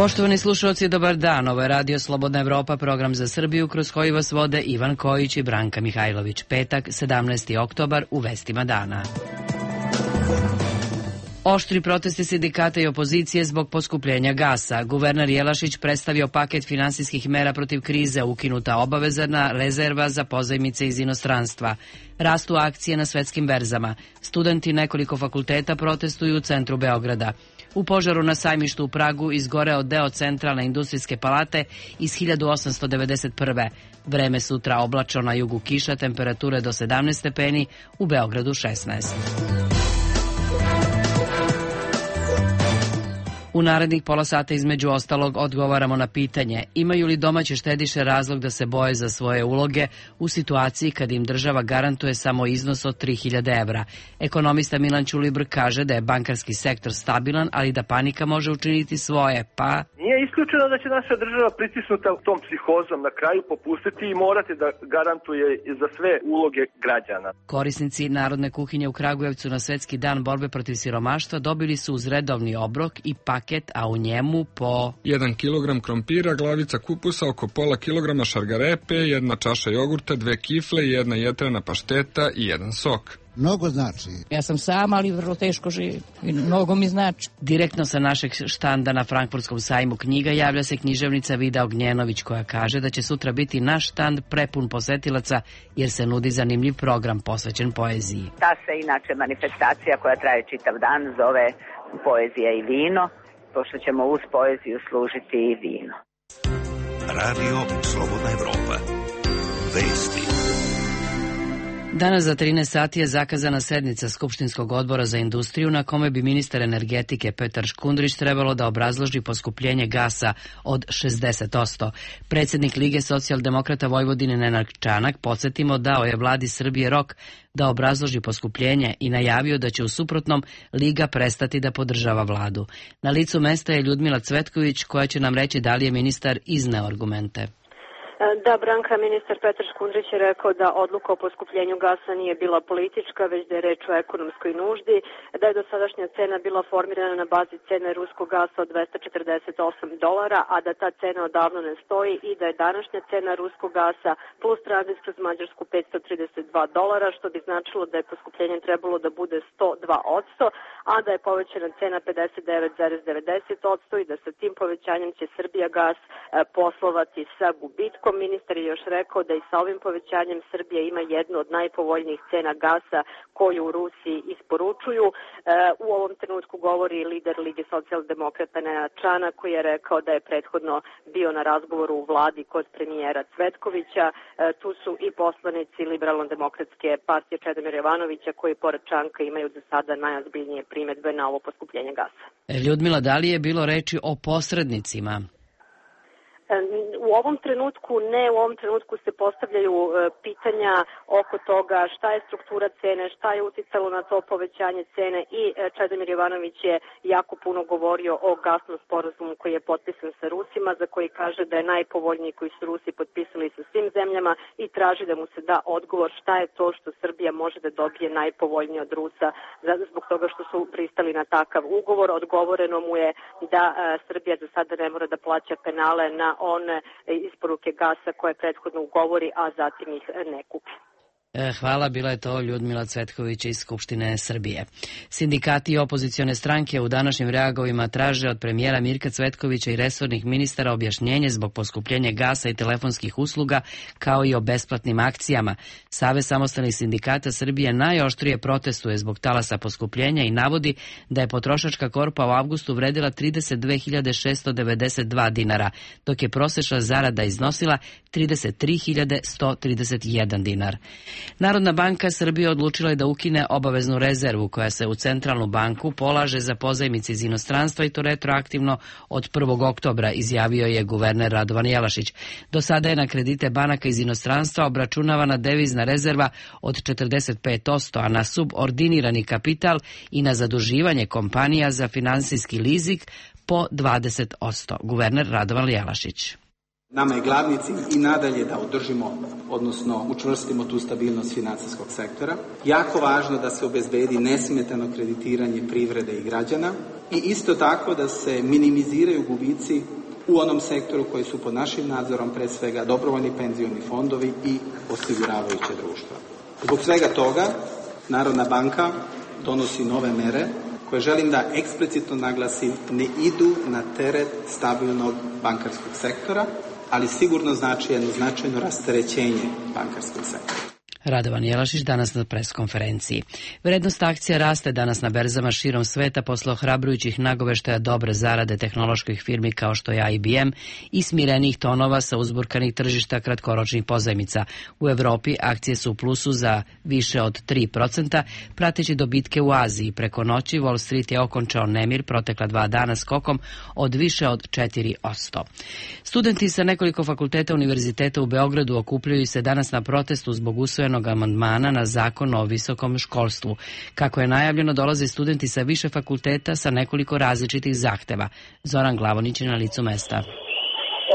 Poštovani slušalci, dobar dan. Ovo je Radio Slobodna Evropa, program za Srbiju kroz koji vas vode Ivan Kojić i Branka Mihajlović. Petak, 17. oktobar, u vestima dana. Oštri protesti sindikata i opozicije zbog poskupljenja gasa. Guverner Jelašić predstavio paket finansijskih mera protiv krize, ukinuta obavezna rezerva za pozajmice iz inostranstva. Rastu akcije na svetskim berzama. Studenti nekoliko fakulteta protestuju u centru Beograda. U požaru na sajmištu u Pragu izgoreo deo centralne industrijske palate iz 1891. Vreme sutra oblačno, na jugu kiša, temperature do 17 stepeni, u Beogradu 16. U narednih pola sata između ostalog odgovaramo na pitanje imaju li domaće štediše razlog da se boje za svoje uloge u situaciji kad im država garantuje samo iznos od 3000 evra. Ekonomista Milan Ćulibr kaže da je bankarski sektor stabilan, ali da panika može učiniti svoje, pa... Nije isključeno da će naša država pritisnuta tom psihozom na kraju popustiti i morati da garantuje za sve uloge građana. Korisnici Narodne kuhinje u Kragujevcu na Svetski dan borbe protiv siromaštva dobili su uz redovni obrok i paket, a u njemu po 1 kilogram krompira, glavica kupusa, oko pola kilograma šargarepe, 1 čaša jogurta, 2 kifle, 1 jetrena pašteta i 1 sok. Mnogo znači. Ja sam sama, ali vrlo teško živim i mnogo mi znači. Direktno sa našeg štanda na Frankfurtskom sajmu knjiga javlja se književnica Vida Ognjenović, koja kaže da će sutra biti naš štand prepun posetilaca jer se nudi zanimljiv program posvećen poeziji. Ta se inače manifestacija koja traje čitav dan zove Poezija i vino, pošto ćemo uz poeziju služiti i vino. Radio Slobodna Evropa. Vesti. Danas za 13 sati je zakazana sednica Skupštinskog odbora za industriju na kome bi ministar energetike Petar Škundrić trebalo da obrazloži poskupljenje gasa od 60%. Predsjednik Lige socijaldemokrata Vojvodine Nenad Čanak, podsjetimo, dao je vladi Srbije rok da obrazloži poskupljenje i najavio da će u suprotnom Liga prestati da podržava vladu. Na licu mesta je Ljudmila Cvetković, koja će nam reći da li je ministar izneo argumente. Da, Branka, ministar Petar Škundrić je rekao da odluka o poskupljenju gasa nije bila politička, već da je reč o ekonomskoj nuždi, da je dosadašnja cena bila formirana na bazi cene ruskog gasa od $248, a da ta cena odavno ne stoji i da je današnja cena ruskog gasa plus tranzit kroz Mađarsku $532, što bi značilo da je poskupljenje trebalo da bude 102%, a da je povećana cena 59,90% i da sa tim povećanjem će Srbija gas poslovati sa gubitkom. Ministar je još rekao da i sa ovim povećanjem Srbija ima jednu od najpovoljnijih cena gasa koju u Rusiji isporučuju. U ovom trenutku govori lider Lige socijaldemokrata Nenad Čanak, koji je rekao da je prethodno bio na razgovoru u vladi kod premijera Cvetkovića. Tu su i poslanici Liberalno-demokratske partije Čedomira Jovanovića, koji pored Čanka imaju za sada najozbiljnije primedbe na ovo poskupljenje gasa. Ljudmila, da li je bilo reči o posrednicima? U ovom trenutku ne, u ovom trenutku se postavljaju pitanja oko toga šta je struktura cene, šta je uticalo na to povećanje cene i Čedomir Jovanović je jako puno govorio o gasnom sporazumu koji je potpisan sa Rusima, za koji kaže da je najpovoljniji koji su Rusi potpisali sa svim zemljama i traži da mu se da odgovor šta je to što Srbija može da dobije najpovoljnije od Rusa zbog toga što su pristali na takav ugovor. Odgovoreno mu je da Srbija za sada ne mora da plaća penale na one isporuke gasa koje prethodno ugovori, a zatim ih ne kupi. Hvala, bila je to Ljudmila Cvetković iz Skupštine Srbije. Sindikati i opozicione stranke u današnjim reagovima traže od premijera Mirka Cvetkovića i resornih ministara objašnjenje zbog poskupljenja gasa i telefonskih usluga, kao i o besplatnim akcijama. Savez samostalnih sindikata Srbije najoštrije protestuje zbog talasa poskupljenja i navodi da je potrošačka korpa u avgustu vredila 32.692 dinara, dok je prosečna zarada iznosila 33.131 dinar. Narodna banka Srbije odlučila je da ukine obaveznu rezervu koja se u centralnu banku polaže za pozajmice iz inostranstva i to retroaktivno od 1. oktobra, izjavio je guverner Radovan Jelašić. Do sada je na kredite banaka iz inostranstva obračunavana devizna rezerva od 45%, a na subordinirani kapital i na zaduživanje kompanija za finansijski lizik po 20%. Guverner Radovan Jelašić. Nama je glavni cilj i nadalje da održimo, odnosno učvrstimo tu stabilnost financijskog sektora. Jako važno da se obezbedi nesmetano kreditiranje privrede i građana i isto tako da se minimiziraju gubici u onom sektoru koji su pod našim nadzorom, pre svega dobrovoljni penzioni fondovi i osiguravajuće društva. Zbog svega toga Narodna banka donosi nove mere koje, želim da eksplicitno naglasim, ne idu na teret stabilnog bankarskog sektora, ali sigurno znači jedno značajno rasterećenje bankarskog sektora. Radovan Jelašić danas na preskonferenciji. Vrednost akcija raste danas na berzama širom sveta posle ohrabrujućih nagoveštaja dobre zarade tehnoloških firmi kao što je IBM i smirenih tonova sa uzburkanih tržišta kratkoročnih pozajmica. U Evropi akcije su u plusu za više od 3%, prateći dobitke u Aziji. Preko noći Wall Street je okončao nemir protekla 2 dana skokom od više od 4%. Studenti sa nekoliko fakulteta univerziteta u Beogradu okupljaju se danas na protestu zbog usvojenog amandmana na zakon o visokom školstvu. Kako je najavljeno, dolaze studenti sa više fakulteta sa nekoliko različitih zahteva. Zoran Glavonić je na licu mesta.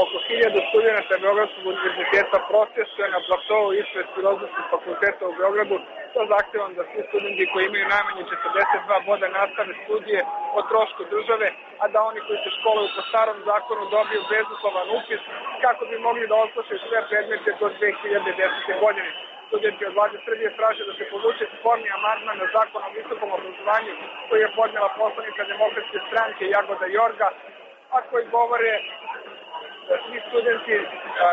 Oko 1000 studenta Beogradskog univerziteta protestuje na platovu ispred Filozofskog fakulteta u Beogradu sa zahtevom da svi studenti koji imaju najmanje 42 boda nastave studije o trošku države, a da oni koji se školuju po starom zakonu dobiju bezuslovan upis kako bi mogli da otplaćaju sve predmete do 2010. godine. Studenti od vlade Srbije traže da se povuče sporni amandman na zakon o visokom obrazovanju koji je podnela poslanica Demokratske stranke Jagoda Jorga, a koji govore da svi studenti,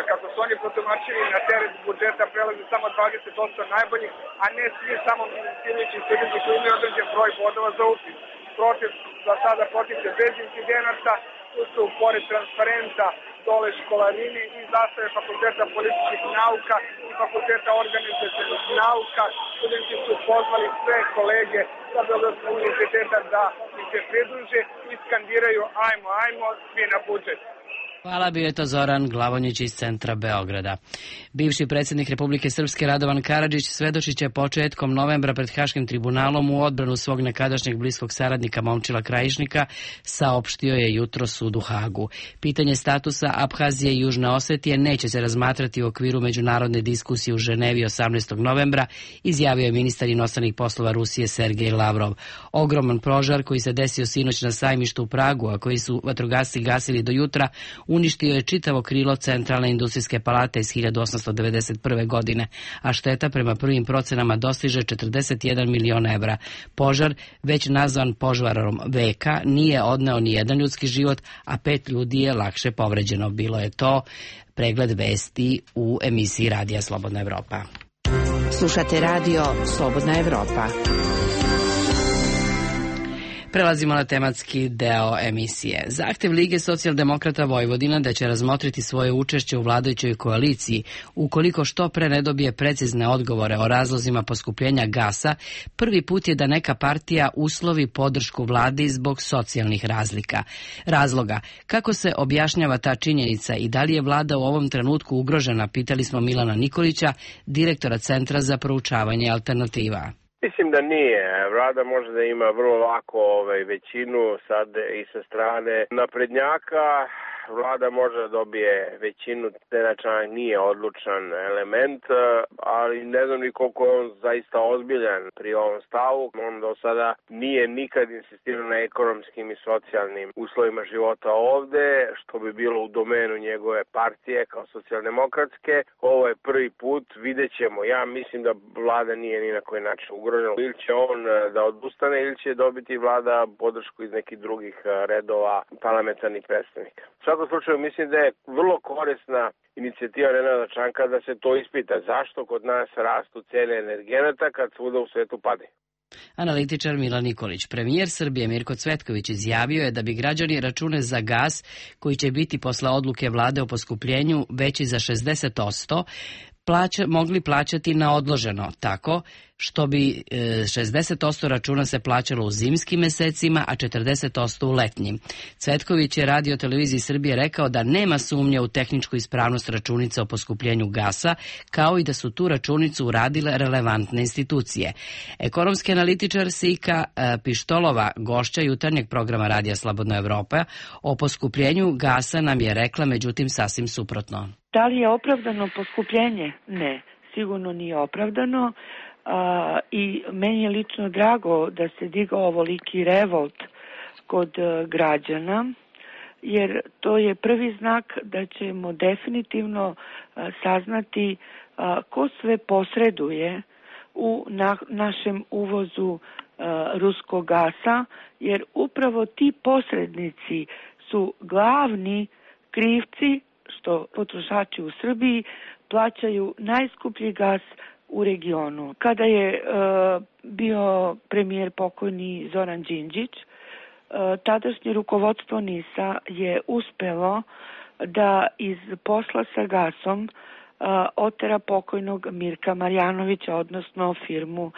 kako su oni protumačili, na teret budžeta prelaze samo 20% najboljih, a ne svi samo ciljeći studenti koji imaju određen broj bodova za upis. Protest za sada potiče bez incidenata, tu su pored transparenta dole školarine i zastave Fakulteta političkih nauka i Fakulteta organizacionih nauka. Studenti su pozvali sve kolege sa Beogradskog univerziteta da im se pridruže i skandiraju ajmo, svi na budžet. Hvala, bio je to Zoran Glavonjić iz centra Beograda. Bivši predsjednik Republike Srpske Radovan Karadžić svedočit će početkom novembra pred Haškim tribunalom u odbranu svog nekadašnjeg bliskog saradnika Momčila Krajišnika, saopštio je jutro sud u Hagu. Pitanje statusa Abhazije i Južne Osetije neće se razmatrati u okviru međunarodne diskusije u Ženevi 18. novembra, izjavio je ministar inostranih poslova Rusije Sergej Lavrov. Ogroman požar koji se desio sinoć na sajmištu u Pragu, a koji su vatrogasci gasili do jutra, uništio je čitavo krilo Centralne industrijske palate iz 1891. godine, a šteta prema prvim procenama dostiže 41 milion evra. Požar, već nazvan požarom veka, nije odneo ni jedan ljudski život, a 5 ljudi je lakše povređeno. Bilo je to pregled vesti u emisiji Radija Slobodna Evropa. Slušate radio Slobodna Evropa. Prelazimo na tematski deo emisije. Zahtev Lige socijaldemokrata Vojvodina da će razmotriti svoje učešće u vladajućoj koaliciji ukoliko što pre ne dobije precizne odgovore o razlozima poskupljenja gasa, prvi put je da neka partija uslovi podršku vladi zbog socijalnih razloga. Kako se objašnjava ta činjenica i da li je vlada u ovom trenutku ugrožena, pitali smo Milana Nikolića, direktora Centra za proučavanje alternativa. Mislim da nije. Vlada može da ima vrlo lako većinu sad i sa strane naprednjaka. Vlada može da dobije većinu, Čanak nije odlučan element, ali ne znam ni koliko je on zaista ozbiljan pri ovom stavu. On do sada nije nikad insistirao na ekonomskim i socijalnim uslovima života ovde, što bi bilo u domenu njegove partije kao socijaldemokratske. Ovo je prvi put, vidjet ćemo. Ja mislim da vlada nije ni na koji način ugrožena. Ili će on da odustane ili će dobiti vlada podršku iz nekih drugih redova parlamentarnih predstavnika. U svakom slučaju mislim da je vrlo korisna inicijativa Nenada Čanka da se to ispita. Zašto kod nas rastu cene energenata kad svuda u svetu pade? Analitičar Milan Nikolić. Premijer Srbije Mirko Cvetković izjavio je da bi građani račune za gas, koji će biti posle odluke vlade o poskupljenju veći za 60%, mogli plaćati na odloženo, tako što bi 60% računa se plaćalo u zimskim mesecima, a 40% u letnjim. Cvetković je Radio televiziji Srbije rekao da nema sumnje u tehničku ispravnost računica o poskupljenju gasa, kao i da su tu računicu uradile relevantne institucije. Ekonomski analitičar Sika Pištolova, gošća jutarnjeg programa Radija Slobodna Evropa, o poskupljenju gasa nam je rekla međutim sasvim suprotno. Da li je opravdano poskupljenje? Ne, sigurno nije opravdano. I meni je lično drago da se digao ovoliki revolt kod građana, jer to je prvi znak da ćemo definitivno saznati ko sve posreduje u našem uvozu ruskog gasa, jer upravo ti posrednici su glavni krivci što potrošači u Srbiji plaćaju najskuplji gas u regionu. Kada je bio premijer pokojni Zoran Đinđić, tadašnje rukovodstvo NIS-a je uspelo da iz posla sa gasom otera pokojnog Mirka Marjanovića, odnosno firmu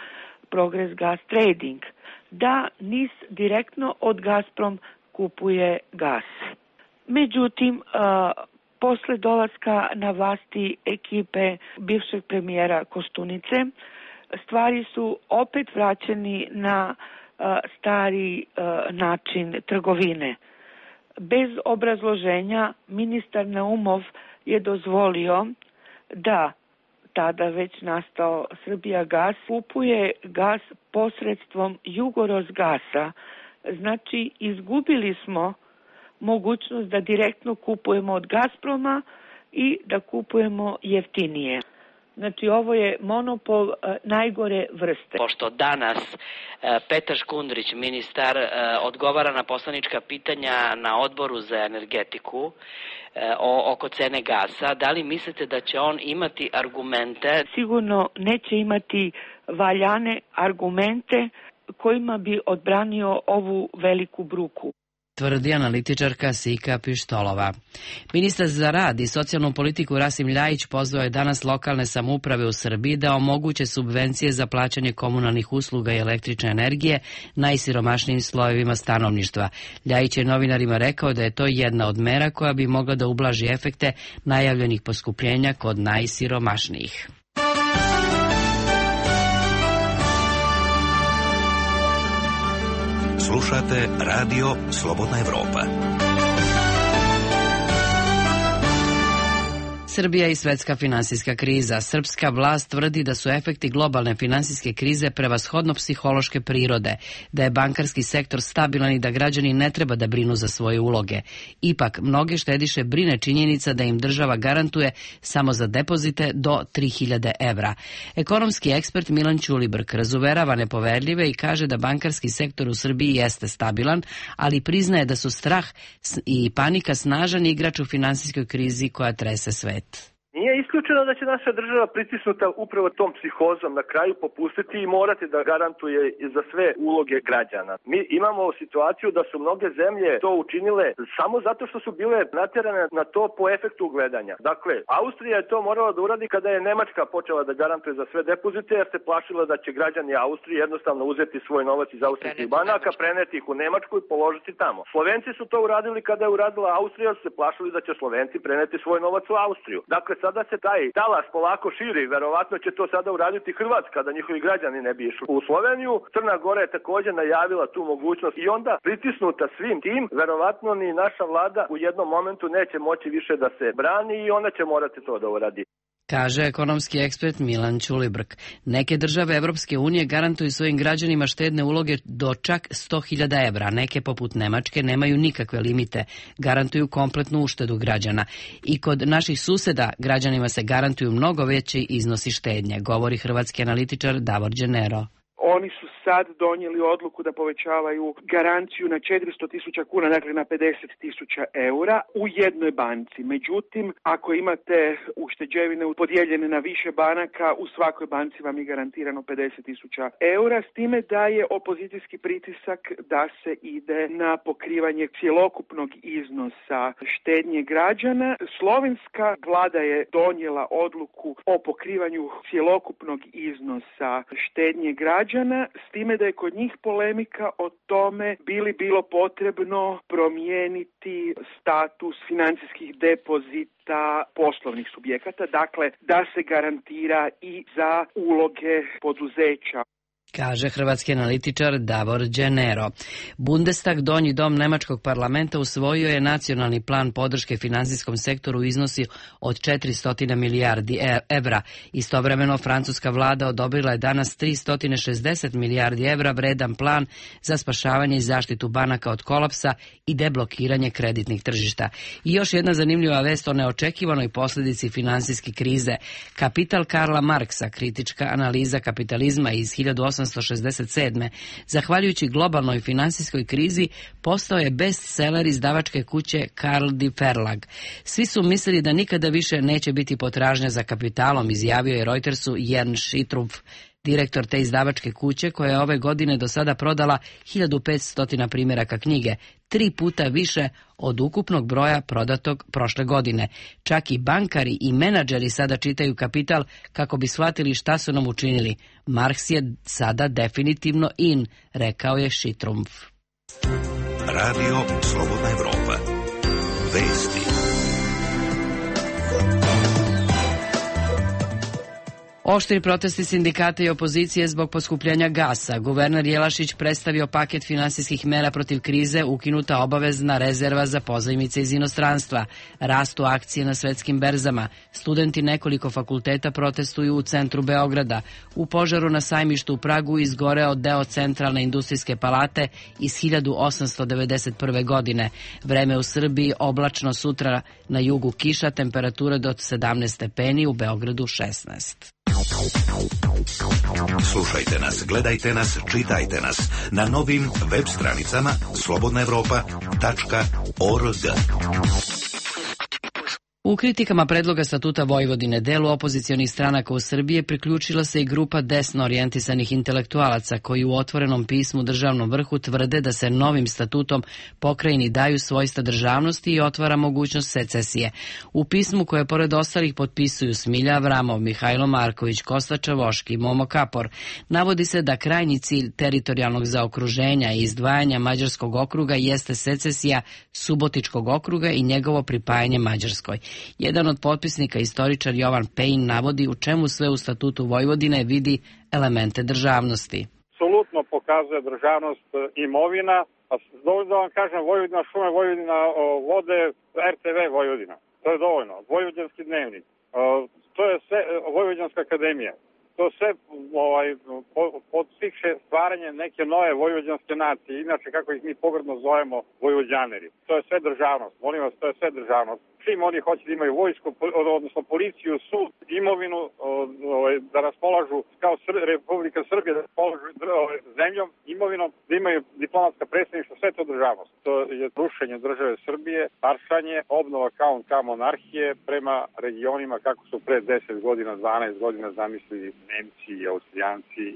Progress Gas Trading, da NIS direktno od Gazprom kupuje gas. Međutim, posle dolaska na vlasti ekipe bivšeg premijera Koštunice, stvari su opet vraćeni na stari način trgovine. Bez obrazloženja ministar Naumov je dozvolio da tada već nastao Srbijagas kupuje gas posredstvom Jugorosgasa. Znači, izgubili smo mogućnost da direktno kupujemo od Gazproma i da kupujemo jeftinije. Znači, ovo je monopol najgore vrste. Pošto danas Petar Škundrić, ministar, odgovara na poslanička pitanja na odboru za energetiku oko cene gasa, da li mislite da će on imati argumente? Sigurno neće imati valjane argumente kojima bi odbranio ovu veliku bruku, tvrdi analitičarka Sika Pištolova. Ministar za rad i socijalnu politiku Rasim Ljajić pozvao je danas lokalne samouprave u Srbiji da omoguće subvencije za plaćanje komunalnih usluga i električne energije najsiromašnijim slojevima stanovništva. Ljajić je novinarima rekao da je to jedna od mera koja bi mogla da ublaži efekte najavljenih poskupljenja kod najsiromašnijih. Slušate Radio Slobodna Evropa. Srbija i svetska finansijska kriza. Srpska vlast tvrdi da su efekti globalne finansijske krize prevashodno psihološke prirode, da je bankarski sektor stabilan i da građani ne treba da brinu za svoje uloge. Ipak, mnoge štediše brine činjenica da im država garantuje samo za depozite do 3000 evra. Ekonomski ekspert Milan Ćulibrk razuverava nepoverljive i kaže da bankarski sektor u Srbiji jeste stabilan, ali priznaje da su strah i panika snažan igrač u finansijskoj krizi koja trese svet. Nije isključeno da će naša država pritisnuta upravo tom psihozom na kraju popustiti i morati da garantuje za sve uloge građana. Mi imamo situaciju da su mnoge zemlje to učinile samo zato što su bile natjerane na to po efektu gledanja. Dakle, Austrija je to morala da uradi kada je Nemačka počela da garantuje za sve depozite, jer se plašila da će građani Austrije jednostavno uzeti svoj novac iz austrijskih banaka, preneti ih u Nemačku i položiti tamo. Slovenci su to uradili kada je uradila Austrija, su se plašili da će Slovenci preneti svoj novac u Austriju. Dakle, sada se taj talas polako širi, verovatno će to sada uraditi Hrvatska, da njihovi građani ne bi išli u Sloveniju. Crna Gora je također najavila tu mogućnost i onda pritisnuta svim tim, verovatno ni naša vlada u jednom momentu neće moći više da se brani i ona će morati to da uradi, kaže ekonomski ekspert Milan Ćulibrk. Neke države Evropske unije garantuju svojim građanima štedne uloge do čak 100.000 evra. Neke, poput Nemačke, nemaju nikakve limite. Garantuju kompletnu uštedu građana. I kod naših suseda građanima se garantuju mnogo veći iznosi štednje, govori hrvatski analitičar Davor Đenero. Oni su sad donijeli odluku da povećavaju garanciju na 400.000 kuna, dakle na 50.000 eura u jednoj banci. Međutim, ako imate ušteđevine podijeljene na više banaka, u svakoj banci vam je garantirano 50.000 eura, s time da je opozicijski pritisak da se ide na pokrivanje cjelokupnog iznosa štednje građana. Slovenska vlada je donijela odluku o pokrivanju cjelokupnog iznosa štednje građana, s time da je kod njih polemika o tome bi li bilo potrebno promijeniti status financijskih depozita poslovnih subjekata, dakle da se garantira i za uloge poduzeća. kaže hrvatski analitičar Davor Đenero. Bundestag, donji dom nemačkog parlamenta, usvojio je nacionalni plan podrške finansijskom sektoru u iznosi od 400 milijardi evra. Istovremeno, francuska vlada odobrila je danas 360 milijardi evra vredan plan za spašavanje i zaštitu banaka od kolapsa i deblokiranje kreditnih tržišta. I još jedna zanimljiva vest o neočekivanoj posljedici finansijske krize. Kapital Karla Marksa, kritička analiza kapitalizma iz 1867. zahvaljujući globalnoj finansijskoj krizi, postao je bestseller izdavačke kuće Carl D. Verlag. Svi su mislili da nikada više neće biti potražnja za kapitalom, izjavio je Reutersu Jern Schittrumpf, direktor te izdavačke kuće, koja je ove godine do sada prodala 1500 primjeraka knjige, 3 puta više od ukupnog broja prodatog prošle godine. Čak i bankari i menadžeri sada čitaju Kapital kako bi shvatili šta su nam učinili. Marks je sada definitivno in, rekao je Schittrumpf. Radio Slobodna Evropa. Vesti. Oštri protesti sindikata i opozicije zbog poskupljenja gasa. Guverner Jelašić predstavio paket finansijskih mera protiv krize, ukinuta obavezna rezerva za pozajmice iz inostranstva. Rastu akcije na svetskim berzama. Studenti nekoliko fakulteta protestuju u centru Beograda. U požaru na sajmištu u Pragu izgoreo deo centralne industrijske palate iz 1891. godine. Vreme u Srbiji oblačno, sutra na jugu kiša, temperature do 17 stepeni, u Beogradu 16. Slušajte nas, gledajte nas, čitajte nas na novim web stranicama slobodnaevropa.org. U kritikama predloga statuta Vojvodine delu opozicionih stranaka u Srbiji priključila se i grupa desno orijentisanih intelektualaca koji u otvorenom pismu državnom vrhu tvrde da se novim statutom pokrajini daju svojstva državnosti i otvara mogućnost secesije. U pismu koje pored ostalih potpisuju Smilja Avramov, Mihajlo Marković, Kosta Čavoški i Momo Kapor, navodi se da krajnji cilj teritorijalnog zaokruženja i izdvajanja Mađarskog okruga jeste secesija Subotičkog okruga i njegovo pripajanje Mađarskoj. Jedan od potpisnika, istoričar Jovan Pejn, navodi u čemu sve u statutu Vojvodine vidi elemente državnosti. Apsolutno pokazuje državnost imovina, a dovoljno da vam kažem Vojvodina šume, Vojvodina vode, RTV Vojvodina. To je dovoljno. Vojvođanski dnevnik. To je sve Vojvođanska akademija. To sve podstiče stvaranje neke nove vojvođanske nacije, inače kako ih mi pogrdno zovemo Vojvođaneri. To je sve državnost, molim vas, to je sve državnost. Čim oni hoće da imaju vojsku, odnosno policiju, sud, imovinu, da raspolažu kao Republika Srbija, da raspolažu zemljom, imovinom, da imaju diplomatska predstavništva, sve to državnost. To je rušenje države Srbije, paršanje, obnova kao monarhije prema regionima kako su pre 10 godina, 12 godina zamislili Nemci i Austrijanci.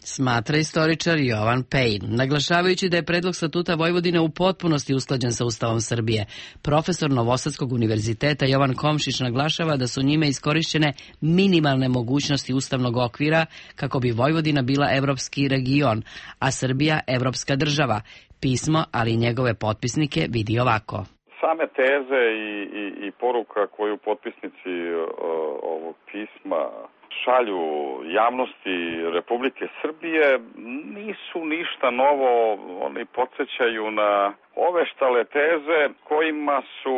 Smatra istoričar Jovan Pejn, naglašavajući da je predlog statuta Vojvodine u potpunosti usklađen sa Ustavom Srbije. Profesor Novosadskog univerziteta Jovan Komšić naglašava da su njime iskorišćene minimalne mogućnosti ustavnog okvira kako bi Vojvodina bila evropski region, a Srbija evropska država. Pismo, ali i njegove potpisnike, vidi ovako. Same teze i poruka koju potpisnici ovog pisma šalju javnosti Republike Srbije nisu ništa novo, oni podsjećaju na ove štale teze kojima su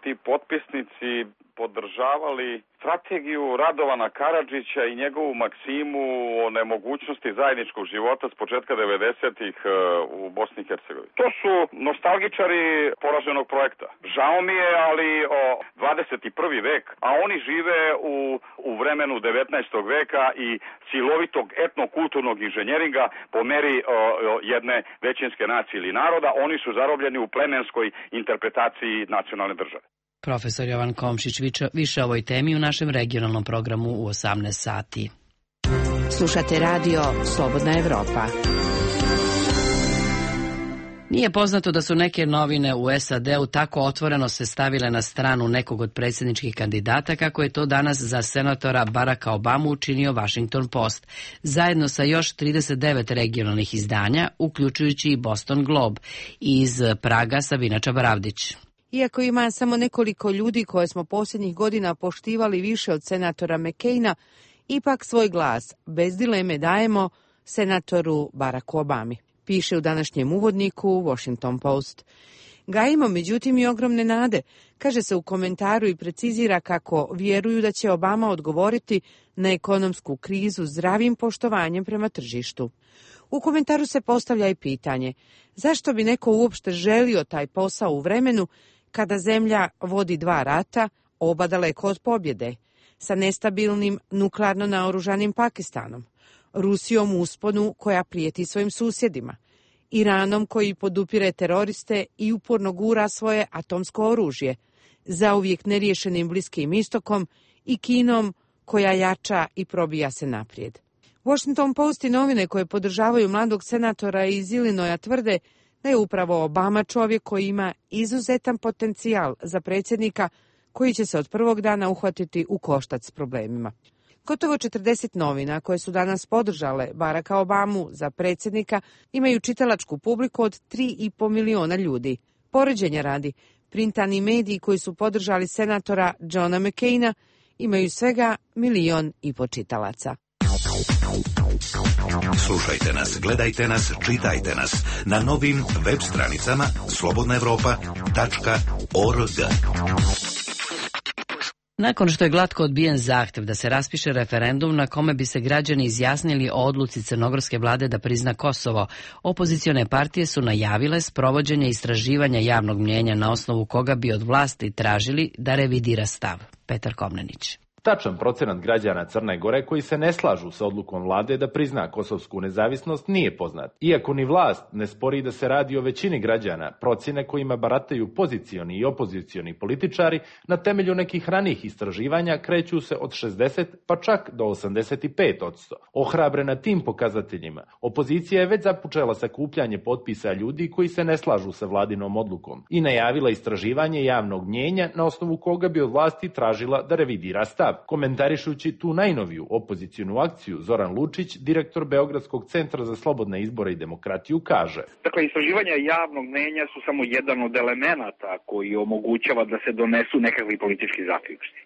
ti potpisnici podržavali strategiju Radovana Karadžića i njegovu maksimu o nemogućnosti zajedničkog života s početka 90-ih u Bosni i Hercegovini. To su nostalgičari poraženog projekta. Žao mi je, ali 21. vek, a oni žive u vremenu 19. veka i silovitog etnokulturnog inženjeringa po meri jedne većinske nacije ili naroda. Oni su zarobljeni u plemenskoj interpretaciji nacionalne države. Profesor Jovan Komšić više o ovoj temi u našem regionalnom programu u 18 sati. Slušate radio Slobodna Evropa. Nije poznato da su neke novine u SAD-u tako otvoreno se stavile na stranu nekog od predsjedničkih kandidata kako je to danas za senatora Baracka Obamu učinio Washington Post, zajedno sa još 39 regionalnih izdanja, uključujući i Boston Globe. Iz Praga Sabina Čabaravdić. Iako ima samo nekoliko ljudi koje smo posljednjih godina poštivali više od senatora McCaina, ipak svoj glas bez dileme dajemo senatoru Baracku Obami. Piše u današnjem uvodniku Washington Post. Gajimo međutim i ogromne nade, kaže se u komentaru i precizira kako vjeruju da će Obama odgovoriti na ekonomsku krizu zdravim poštovanjem prema tržištu. U komentaru se postavlja i pitanje zašto bi neko uopšte želio taj posao u vremenu kada zemlja vodi 2 rata, oba daleko od pobjede, sa nestabilnim nuklearno naoružanim Pakistanom, Rusijom u usponu koja prijeti svojim susjedima, Iranom koji podupire teroriste i uporno gura svoje atomsko oružje, zauvijek neriješenim Bliskim istokom i Kinom koja jača i probija se naprijed. Washington Post i novine koje podržavaju mladog senatora iz Illinoisa tvrde da je upravo Obama čovjek koji ima izuzetan potencijal za predsjednika koji će se od prvog dana uhvatiti u koštac s problemima. Gotovo 40 novina koje su danas podržale Baracka Obamu za predsjednika imaju čitalačku publiku od 3,5 miliona ljudi. Poređenja radi, printani mediji koji su podržali senatora Johna McCaina imaju svega 1,5 miliona čitalaca. Slušajte nas, gledajte nas, čitajte nas na novim web stranicama slobodnaevropa.org. Nakon što je glatko odbijen zahtjev da se raspiše referendum na kome bi se građani izjasnili o odluci crnogorske vlade da prizna Kosovo, opozicione partije su najavile sprovođenje istraživanja javnog mnijenja na osnovu koga bi od vlasti tražili da revidira stav. Petar Komnenić. Tačan procenat građana Crne Gore koji se ne slažu sa odlukom vlade da prizna kosovsku nezavisnost nije poznat. Iako ni vlast ne spori da se radi o većini građana, procjene kojima barataju pozicioni i opozicioni političari na temelju nekih ranijih istraživanja kreću se od 60 pa čak do 85%. Ohrabrena tim pokazateljima, opozicija je već započela sakupljanje potpisa ljudi koji se ne slažu sa vladinom odlukom i najavila istraživanje javnog mnijenja na osnovu koga bi od vlasti tražila da revidira stav. Komentarišući tu najnoviju opozicionu akciju, Zoran Lučić, direktor Beogradskog centra za slobodne izbore i demokratiju, kaže: Dakle, istraživanja javnog mnijenja su samo jedan od elemenata koji omogućava da se donesu nekakvi politički zaključci.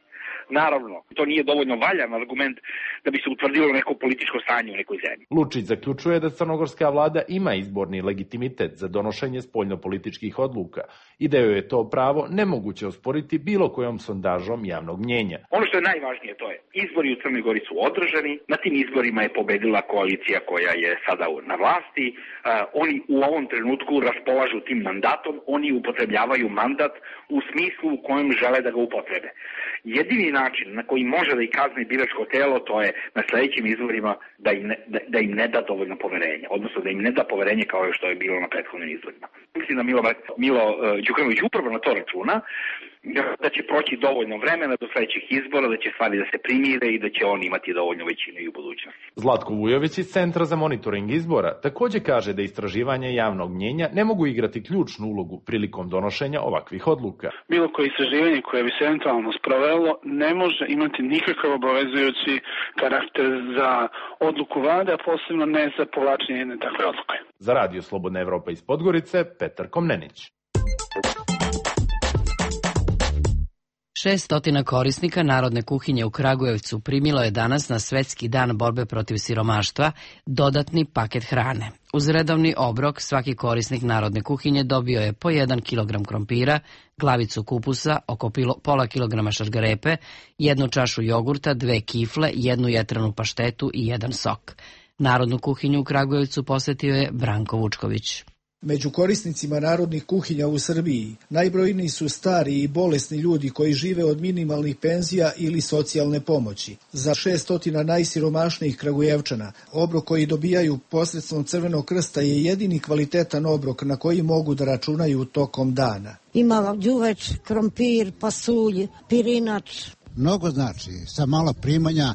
Naravno, to nije dovoljno valjan argument da bi se utvrdilo neko političko stanje u nekoj zemlji. Lučić zaključuje da crnogorska vlada ima izborni legitimitet za donošenje spoljnopolitičkih odluka i da joj je to pravo nemoguće osporiti bilo kojom sondažom javnog mnijenja. Ono što je najvažnije to je, izbori u Crnoj Gori su održani, na tim izborima je pobedila koalicija koja je sada na vlasti, oni u ovom trenutku raspolažu tim mandatom, oni upotrebljavaju mandat u smislu u kojem žele da ga upotrebe. Jedini način na koji može da ih kazni biračko telo, to je na sljedećim izborima da im ne da dovoljno poverenja, odnosno da im ne da poverenje kao što je bilo na prethodnim izborima. Mislim da Milo Đukanović upravo na to računa, da će proći dovoljno vremena do sljedećih izbora, da će stvari da se primire i da će on imati dovoljno većinu i u budućnosti. Zlatko Vujović iz Centra za monitoring izbora također kaže da istraživanje javnog mnijenja ne mogu igrati ključnu ulogu prilikom donošenja ovakvih odluka. Bilo koje istraživanje koje bi se eventualno sprovelo ne može imati nikakav obavezujući karakter za odluku vlade, a posebno ne za povlačenje jedne takve odluke. Za Radio Slobodna Evropa iz Podgorice, Petar Komnenić. 600 korisnika narodne kuhinje u Kragujevcu primilo je danas na Svetski dan borbe protiv siromaštva dodatni paket hrane. Uz redovni obrok svaki korisnik narodne kuhinje dobio je po 1 kilogram krompira, glavicu kupusa, oko pola kilograma šargarepe, 1 čašu jogurta, 2 kifle, 1 jetranu paštetu i 1 sok. Narodnu kuhinju u Kragujevcu posjetio je Branko Vučković. Među korisnicima narodnih kuhinja u Srbiji najbrojniji su stari i bolesni ljudi koji žive od minimalnih penzija ili socijalne pomoći. Za 600 najsiromašnijih Kragujevčana obrok koji dobijaju posredstvom Crvenog krsta je jedini kvalitetan obrok na koji mogu da računaju tokom dana. Ima đuveč, krompir, pasulj, pirinač. Mnogo znači, sa malo primanja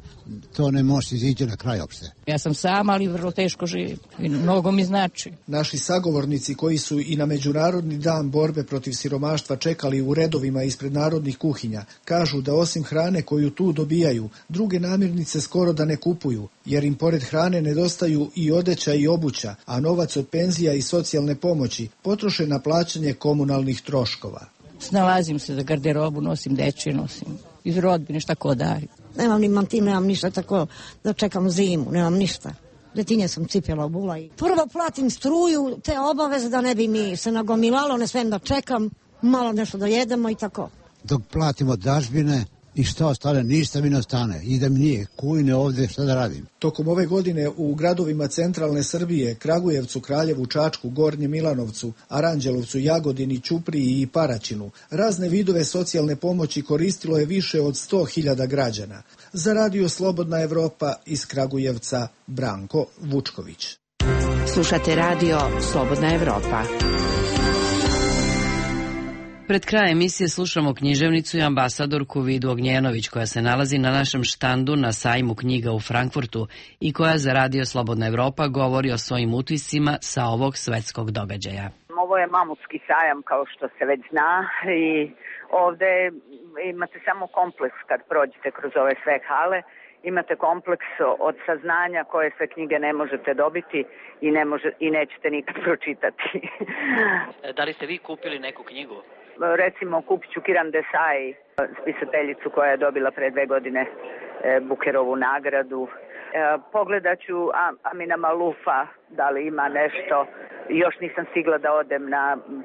to ne može izići na kraj opšte. Ja sam sama, ali vrlo teško živim i mnogo mi znači. Naši sagovornici koji su i na Međunarodni dan borbe protiv siromaštva čekali u redovima ispred narodnih kuhinja, kažu da osim hrane koju tu dobijaju, druge namirnice skoro da ne kupuju, jer im pored hrane nedostaju i odeća i obuća, a novac od penzija i socijalne pomoći potroše na plaćanje komunalnih troškova. Snalazim se za garderobu, nosim dečje, nosim iz rodbine, šta ko dari. Nemam ni mantin, nemam ništa, tako da čekam zimu, nemam ništa. Detinje sam cipjela u bula i prvo platim struju, te obaveze da ne bi mi se nagomilalo, ne smijem da čekam, malo nešto da jedemo i tako. Dok platimo dažbine i što ostane, ništa mi ne ostane. Idem nije, kujne ovdje, šta da radim? Tokom ove godine u gradovima centralne Srbije, Kragujevcu, Kraljevu, Čačku, Gornjem Milanovcu, Aranđelovcu, Jagodini, Ćupriji i Paraćinu, razne vidove socijalne pomoći koristilo je više od 100.000 građana. Za Radio Slobodna Evropa iz Kragujevca, Branko Vučković. Slušate Radio Slobodna Evropa. Pred kraj emisije slušamo književnicu i ambasadorku Vidu Ognjenović, koja se nalazi na našem štandu na sajmu knjiga u Frankfurtu i koja za Radio Slobodna Evropa govori o svojim utiscima sa ovog svetskog događaja. Ovo je mamutski sajam, kao što se već zna, i ovde imate samo kompleks kad prođete kroz ove sve hale. Imate kompleks od saznanja koje sve knjige ne možete dobiti i nećete nikad pročitati. Da li ste vi kupili neku knjigu? Recimo, kupit ću Kiran Desai, spisateljicu koja je dobila pre 2 godine Bukerovu nagradu. Pogledat ću Amina Malufa, da li ima nešto. Još nisam stigla da odem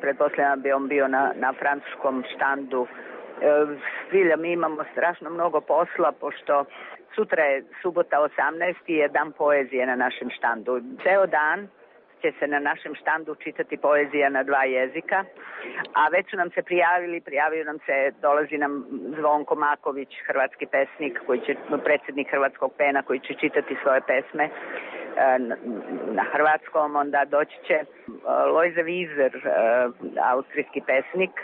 pretpostavljam bi on bio na francuskom štandu. Zbilja, mi imamo strašno mnogo posla, pošto sutra je subota 18. je dan poezije na našem štandu. Ceo dan će se na našem štandu čitati poezija na 2 jezika, a već su nam se prijavio nam se, dolazi nam Zvonko Maković, hrvatski pesnik, predsjednik Hrvatskog pena, koji će čitati svoje pesme na hrvatskom. Onda doći će Lojze Vizer, austrijski pesnik,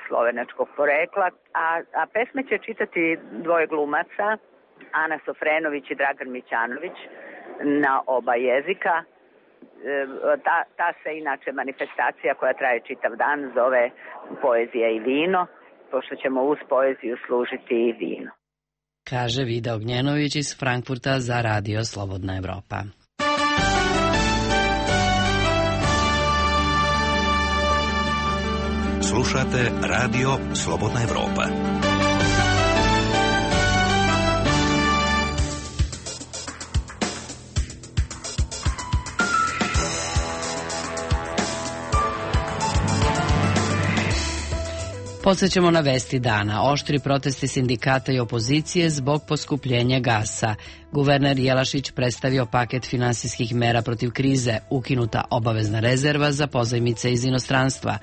slovenačkog porekla, a pesme će čitati 2 glumaca, Ana Sofrenović i Dragan Mićanović, na oba jezika. Ta se inače manifestacija koja traje čitav dan zove Poezija i vino, pošto ćemo uz poeziju služiti i vino. Kaže Vida Ognjenović iz Frankfurta za Radio Slobodna Evropa. Slušate Radio Slobodna Evropa. Podsećamo na vesti dana. Oštri protesti sindikata i opozicije zbog poskupljenja gasa. Guverner Jelašić predstavio paket finansijskih mera protiv krize, ukinuta obavezna rezerva za pozajmice iz inostranstva.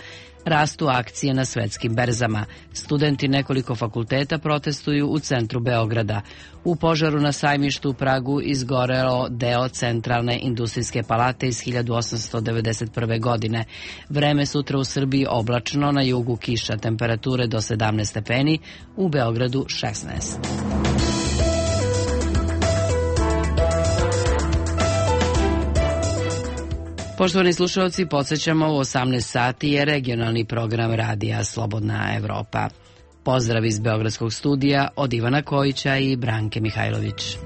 Rastu akcije na svetskim berzama. Studenti nekoliko fakulteta protestuju u centru Beograda. U požaru na sajmištu u Pragu izgorelo deo centralne industrijske palate iz 1891. godine. Vreme sutra u Srbiji oblačno, na jugu kiša, temperature do 17 stepeni, u Beogradu 16. Poštovani slušalci, podsjećamo, u 18 sati je regionalni program Radija Slobodna Evropa. Pozdrav iz Beogradskog studija od Ivana Kojića i Branke Mihajlović.